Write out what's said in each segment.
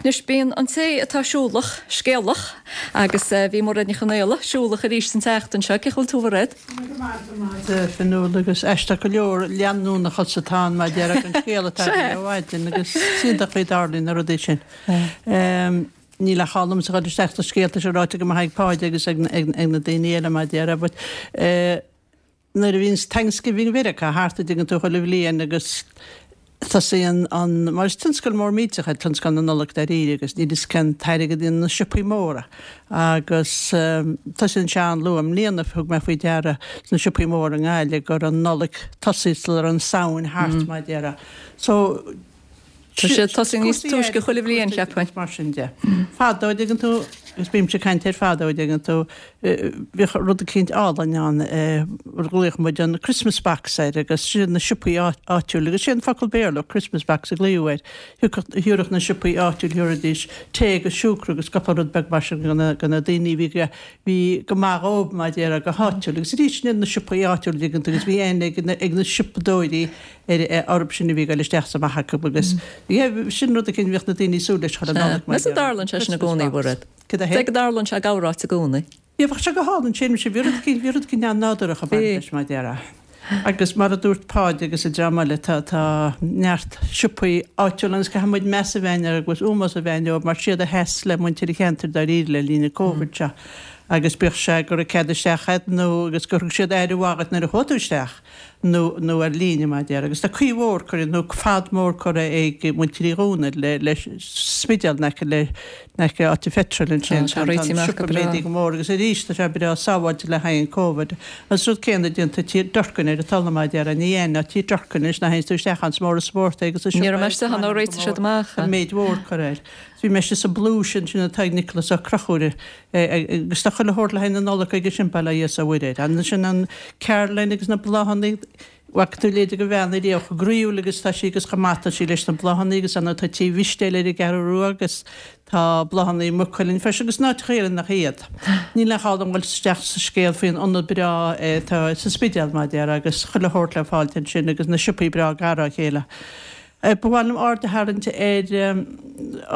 Anois bíonn an té atá siúlach, scéalach agus bhí Mairéad Ní Chonaola siúlach arís an tseachtain seo. Cén chaoi a bhfuil tú a Mhairéad? Go maith, go maith a Fionnuala agus aisteach go leor leanúnachas atá ann mar a déarfá an scéal atá againn ó mhaidin agus is iontach faoi dtarlaíonn na rudaí sin. Níl ach gá liomsa dhul isteach sa scéal tá sé ráite go maith ag Páid agus ag na daoine eile mar a déarfá but nuair a bhíonns Thanksgiving Mheiriceá thart a dtuigeann tú chuile bhliain agus tosaíonn an, mar is tionscal mór millteach é tionscal na Nollag dáiríre agus níl fhios cén t-airgead a dhéanann na siopaí móra agus tosaíonn sé an-luath. I mbliana thug mé faoi deara sna siopaí móra i nGaillimh go raibh an Nollaig tosaithe sula raibh an Samhain thart mar a déarfá. So Tá sé ag tosú níos túisce chuile bhliain, cheapfainn. Mar sin de. Fadó, a dtuigeann tú, agus bímse ag caint ar fadó, a dtuigeann tú, bhíodh rud eicínt álainn ann, ghlaodh muid an Christmas box air agus sin na siopaí áitiúil agus sé an focal Béarla Christmas box a glaodh air. Thiúrfadh na siopaí áitiúil, thiúrfaidís tae agus siúcra agus cúpla rud beag mar sin do na daoine a bhí bhí go maith dhóibh mar a déarfá go háitiúil agus arís sin iad na siopaí áitiúil a dtuigeann tú agus bhí aithne ag na siopadóirí ar orthu sin a bhí ag dul isteach is amach acu agus yeah sin rud eicínt a bhíodh na daoine ag súil leis chuile Nollaig mar Meas tú an dtarlaíonn sé sin i gcónaí, Mhairéad? Cad é? Go dtarlaíonn sé gach áit i gcónaí. Yeah bheadh sé go hálainn sin bhí rud eicínt bhí rud eicínt an-nádúrach ag baint leis mar a déarfá. Agus mar a dúirt Páid agus an dream eile tá tá neart siopaí áitiúla agus caithfidh muid meas a bheith againn orthu agus ómós a bheith againn dóibh mar siad a sheas le muintir an cheantair dáiríre le linn an Covid seo agus bíodh sé go raibh cead isteach agat nó agus gur thug siad aire mhaith dhuit nuair a chuaigh tú isteach. nó nó ar líne mar a déarfá. Agus tá caoi mhór curtha, nó fad mór curtha ag muintir Uí Dhomhnaill le le Spidéal in aice le in aice áit an pheitril ansin. Tá sé réitithe amach go breá. Méadaithe go mór agus arís tá sé breá sábháilte le haghaidh an Covid. Agus rud céanna déanta Tí Durkin ar an talamh mar a déarfá, ní aon ná Tí Durkin anois nuair a théanns tú isteach ann is mór an spórt é agus is Ní raibh mé istigh ann ó réitigh siad amach é. Méid mhór curtha air. Bhí mé istigh sa Blues ansin atá ag Nicholas Ó Conchúir Agus tá chuile shórt le haghaidh na Nollag aige sin, bail ó Dhia is ó Mhuire air. Ansin an Caroline agus na bláthanna, bhfaca tú leithéid de bhean ariamh chomh groíúil agus tá sí agus chomh maith tá sí leis na bláthanna agus ann tá Tí Mhistéil ar an gCeathrú Rua agus tá bláthanna i Maigh Cuilinn freisin agus in áiteacha eile nach iad. Níl aon chall dom dhul isteach sa scéal faoin ionad breá atá sa Spidéal, mar a déarfá, agus chuile shórt le fáilt ansin agus na siopaí breá gar dá chéile. Ba mhaith liom aird a tharraingt ar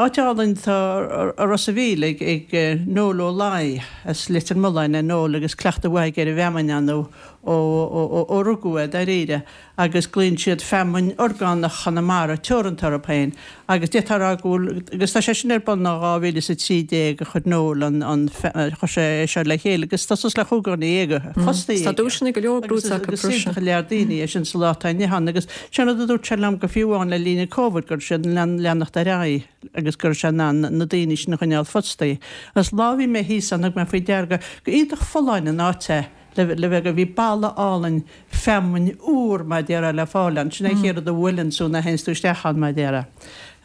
áit álainn atá i Ros a' Mhíl ag Noel Ó Laoi as Leitir Mealláin é Noel agus cleachtadh mhaith aige ar an bhfeamainn ann ó rugadh é dáiríre agus glaonn siad Feamainn Orgánach Chonamara Teoranta orthu féin agus d'fhéadfá a rá go bhfuil agus tá sé sin ar bun ó 2013 a chuir Noel an chuir sé é seo le chéile agus tá suas le 15 dhuine fostaithe aige. Tá duaiseanna go leor buaite acu freisin. Agus is iontach an lear daoine é sin sa lá atá inniu ann agus Sin rud a dúirt sé liom go fiú amháin le linn an Covid go raibh siad in ann leanacht ar aghaidh agus go raibh sé in ann na daoine sin a choinneáil fostaithe. Agus lá a bhí mé thíos ann thug mé faoi deara go go iontach folláin an áit é le le bheith go bhí balla álainn feamainn úr mar a déarfá le fáil ann. Sin é an chéad rud a bhuaileann tú nuair a théanns tú isteach ann mar a déarfá.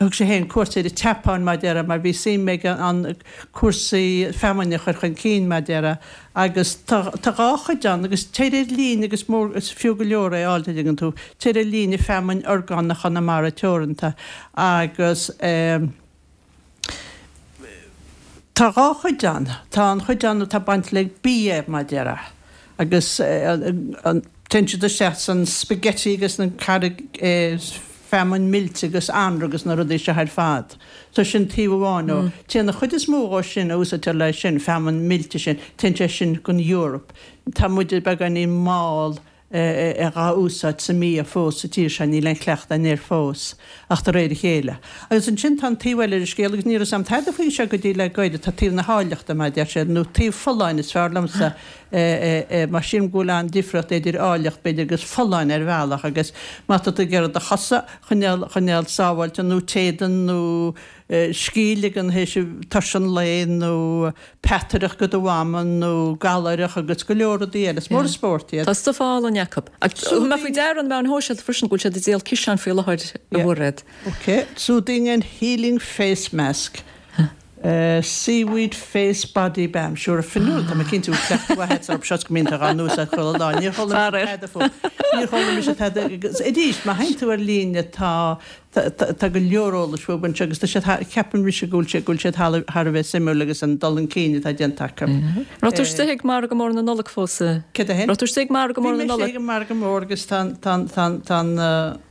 Thug sé féin cuairt ar an tSeapáin mar a déarfá mar bhí suim aige an cúrsaí feamainne a chur chun cinn mar a déarfá Agus tá tá dhá chuid ann, agus téir ar líne agus mór, is fiú go leor é a fháil, tuigeann tú, téir ar líne Feamainn Orgánach Chonamara Teoranta agus eh tá dhá chuid ann, tá an chuid ann atá bainte le bia mar a déarfá agus eh an, téann siad isteach san spaghetti agus na carraig eh feamainn millte agus anraith agus na rudaí seo ar fad. So sin taobh amháin dhó. Téann an chuid is mó dhó sin a úsáidtear le sin, feamainn millte sin, téann sé sin gon Europe. Tá muide beagáinín mall é dhá úsáid sa mbia fós sa tír seo, níl aon chleachtadh againn air fós, ach de réir a chéile. Agus ansin tá an taobh eile ar an scéal agus ní raibh 'fhios a'm tada faoi seo go dtí le goirid, tá taobh na háilleachta mar a deir siad, nó taobh folláine is fearr liomsa mar sílim go bhfuil an-difríocht idir áilleacht, b'fhéidir, agus folláine ar bhealach agus má tá tú ag iarraidh do chosa a choinneáil, choinneáil sábháilte nó t'éadan nó scíth a ligean théis tuirse an lae nó peataireacht go do mhama nó gallaireach agus go leor rudaí eile. Is mór an spórt iad. Tá stuif álainn acu. Ach thug mé faoi deara ar na meáin shóisialta freisin go bhfuil siad ag díol ciseáin faoi láthair a Mhairéad. Ok. Soothing and healing face mask. Seaweed face body balm. Sure, Fionnuala, tá mé cinnte go bhfuil cleachtadh mhaith agat orthu seo is go mbíonn tú dhá n-úsáid chuile lá. Níor chuala mise tada fúthu. Níor chuala mise tada. Agus arís, má théann tú ar líne tá tá go leor eolais fúthu anseo agus tá siad thar, ceapann mise go bhfuil siad go bhfuil siad thar a bheith suimiúil agus an dul chun cinn atá déanta acu. Raibh tú istigh ag Margadh Mór na Nollag fós? Céard é sin? Raibh tú istigh ag Margadh Mór na Nollag? Bhí mé istigh ag an Margadh Mór agus tá an tá an tá an tá an.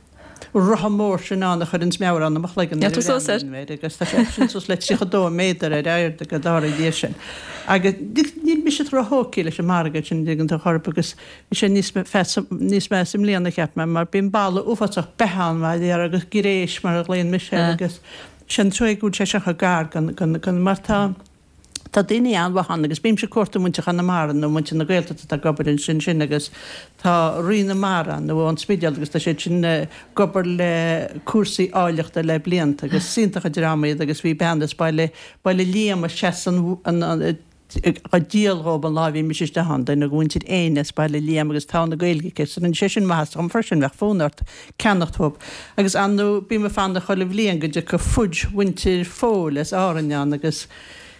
rotha mór sin ann a chuireanns meabhrán i mo chloigeann nuair a bhreathnaím air agus tá sé sin suas le 32 méadar ar airde go dara Dia sin. Agus níl mise róthógtha leis an margadh sin an dtuigeann tú chor ar bith agus bhí sé níos níos measa i mbliana cheap mé mar bíonn boladh uafásach beithe ann mar a déarfá agus gréis mar a ghlaonn mise air agus sin truaighe go bhfuil sé seo chomh gar don don mar tá Tá daoine an-mhaith ann agus bímse ag cuartú muintir Chonamara nó muintir na Gaeltachta atá ag obair ansin sin agus tá Rí na Mara ann nó ón Spidéal agus tá siad sin ag obair le cúrsaí áilleachta le blianta agus is iontach an dream iad agus bhí bean as Baile Baile Liam a sheas an an á díol dhób an lá a bhí mise isteach ann, duine de mhuintir Éinne as Baile Liam agus togha na Gaeilge aici so rinne sé sin maitheas dhom freisin, bheadh fonn ort ceannacht uathub. Agus ar ndóigh bím ag fanacht chuile bhliain go dtiocfaidh fudge mhuintir Phóil as Árainn ann agus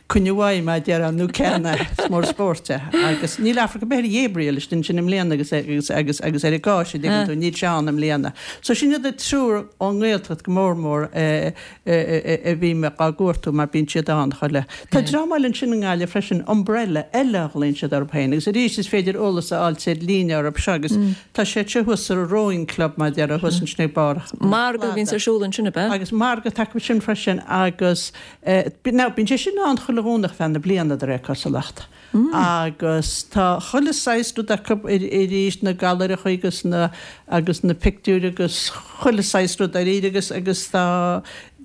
coinne uaidh mar a déarfá nó ceannaigh, is mór an spórt é. Agus níl amharc ar bith ar Ghabriel istigh ansin i mbliana agus agus agus agus ar an gcáis an dtuigeann tú, níl sé ann i mbliana. So sin iad an triúr ón nGaeltacht go mór mór a a bhím á gcuartú mar bíonn siad ann chuile. Tá dream eile ansin i nGaillimh freisin, Umbrella eile a ghlaonn siad orthu féin agus arís is féidir eolas a fháilt ar líne orthu seo agus tá siad seo thuas sa Rowing Club mar a déarfá thuas ansin ag barr an Margadh a bhíonns ar siúl ansin ab ea? Agus margadh atá acu sin freisin agus now bíonn sé sin ann chuile Dhomhnach feadh na bliana de réir cosúlacht. Agus tá chuile saghas rud acu arís, na gailearaithe agus na, agus na pictiúir agus chuile saghas rud dáiríre agus, agus tá,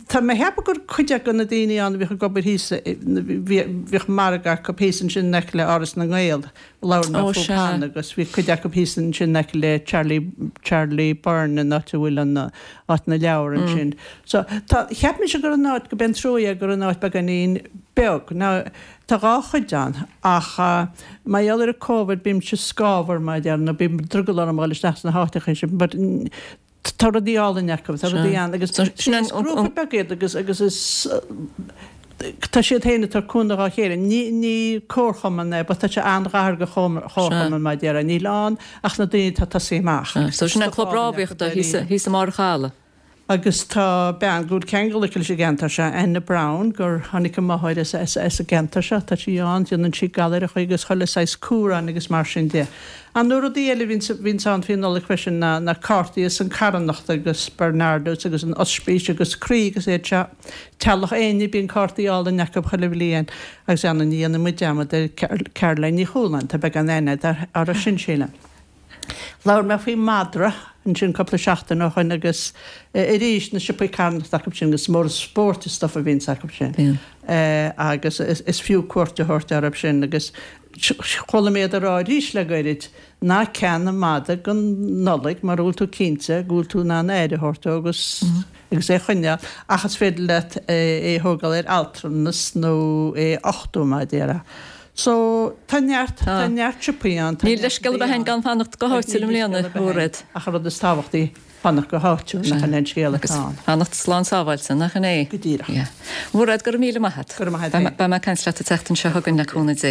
tá mé a cheapadh gur cuid acu na daoine ann a bhíodh ag obair thíos, bhíodh margadh acu thíos ansin in aice le Áras na nGael, labhair mé fúthu cheana agus bhí cuid acu thíos ansin in aice le Charlie, Charlie Byrne an áit a bhfuil an, áit na leabhar ansin. So tá, cheap mise gur an áit, go b'é an trua é gur an áit beagáinín beag. Now, Tá dhá chuid ann, ach mar gheall ar an Covid bímse scáfar mar a déarfá, nó bíonn drogall orm a dhul isteach sna háiteacha sin, but tá rudaí álainn acu, tá rudaí ann agus is grúpa beag iad agus agus is tá siad féin ag tabhairt cúnamh dhá chéile. Ní ní comharchumann é but tá sé an-ghar do chomharchumann mar a déarfá, níl ann ach na daoine atá ag tosaí amach. So sin an club rámhaíochta thíos i mbarr an chalaidh. Agus tá bean go bhfuil ceangal aici leis an gceantar seo, Anna Brown, gur tháinig a máthair as as an gceantar seo, tá sí ann, déanann sí gailearaithe agus chuile saghas cumhráin agus mar sin de. Ar ndóigh rudaí eile a bhíonns bhíonns ann faoi Nollaig freisin ná na cártaí as an carthanacht agus Barnardo's agus an ospís agus Croí agus iad seo. Teaghlach Éinne, bíonn cártaí álainn acu chuile bhliain agus ar ndóigh ní dhéanfaidh muid dearmad ar Caroline Ní Chualáin, tá beagán aithne agat uirthi sin sílim. Labhair mé faoi mhadra ansin cúpla seachtain ó shoin agus arís na siopaí carthanachta acu sin agus is mór an spórt an stuif a bhíonns acu sin agus is fiú cuairt a thabhairt orthu sin agus chuala mé iad ag rá arís le goirid ná ceannaigh mada don Nollaig mura bhfuil tú cinnte go bhfuil tú in ann aire a thabhairt dó agus agus é a choinneáil ach is féidir leat é a thógáil ar altranas nó é a uchtú mar a déarfá. So, tá neart, tá neart siopaí ann, tá Níl neart leithscéal ar bith againn gan fanacht go háitiúil i mbliana, a Mhairéad. Ach an rud is tábhachtaí, fanacht go háitiúil, nach in é an scéal atá ann. Agus fanacht slán sábháilte, nach in é? Go díreach. Yeah. Mhairéad, go raibh míle maith agat. Go raibh maith agat féin. Beidh mé ag caint leat an tseachtain seo chugainn le cúnamh Dé.